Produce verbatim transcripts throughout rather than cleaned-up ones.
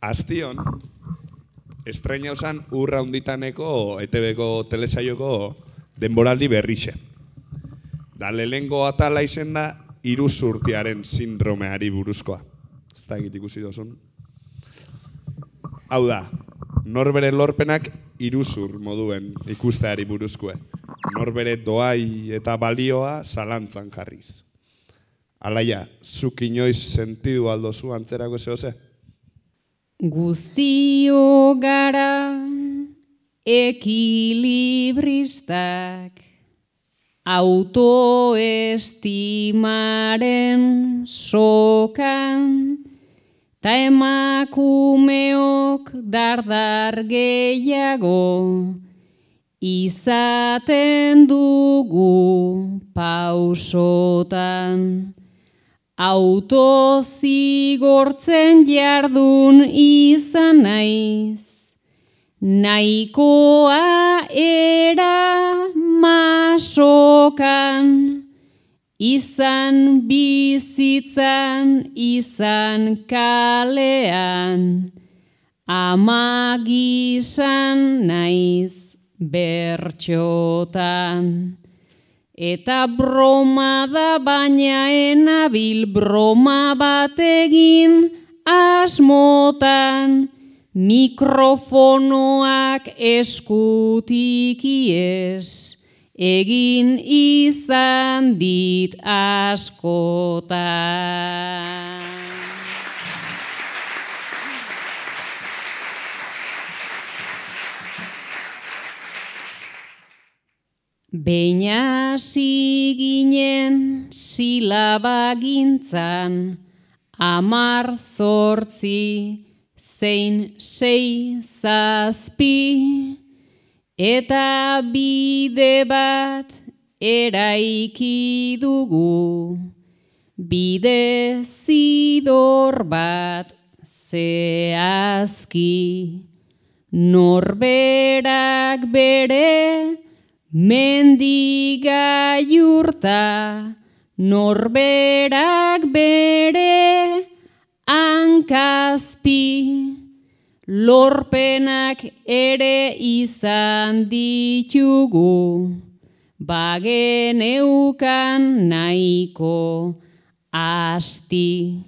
Aztion, estreina usan urra hunditaneko E T Bko telesaioko denboraldi berrixe. Da lehengo atala izen da iruzurtiaren sindromeari buruzkoa. Ez da egit ikusi dozun. Hau da, norbere lorpenak iruzur moduen ikusteari buruzkoe. Norbere doai eta balioa zalantzan jarriz. Alaia, zuk inoiz sentidu aldozu antzerako zehose? Guztio gara ekilibristak, autoestimaren sokan, ta emakumeok dardar gehiago, izaten dugu pausotan. Autozigortzen jardun izan naiz, nahikoa era masokan, izan bizitzan, izan kalean, ama gizan naiz bertxotan. Eta broma da baina enabil broma bat egin asmotan, mikrofonoak eskutik iez, egin izan dit askotan. Behin hasi ginen silabagintzan, amar zortzi, zein sei zazpi, eta bide bat eraiki dugu, bide zidor bat zehazki, norberak bere mendigaiurta, norberak bere hankazpi, lorpenak ere izan ditugu, bageneukan nahiko asti,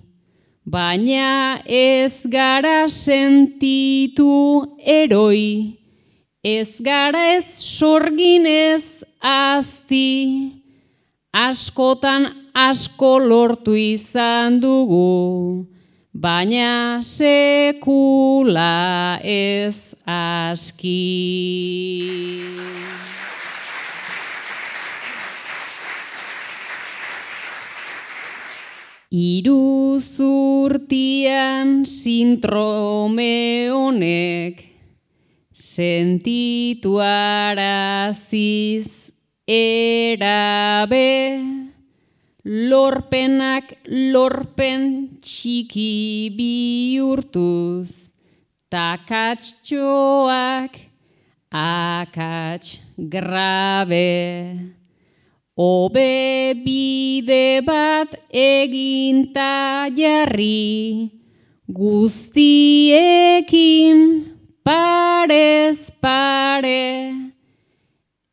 baina ez gara sentitu eroi, ez gara ez sorginez azti, askotan asko lortu izan dugu, baina sekula ez aski. Iruzurtian sindrome honek, sentitu araziz erabe, lorpenak lorpen txiki bihurtuz, takatxoak akats grabe. Obe bide bat eginta jarri, guztiekin parez pare,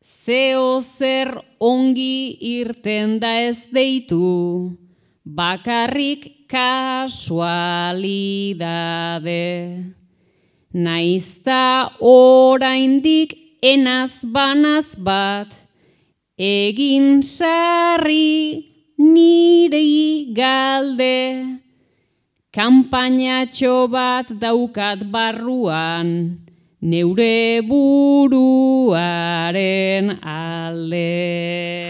zeo zer ongi irten da ez deitu, bakarrik kasualidade. Naizta oraindik enaz banaz bat, egin sarri niri galde, kanpainatxo bat daukat barruan, neure buruaren alde.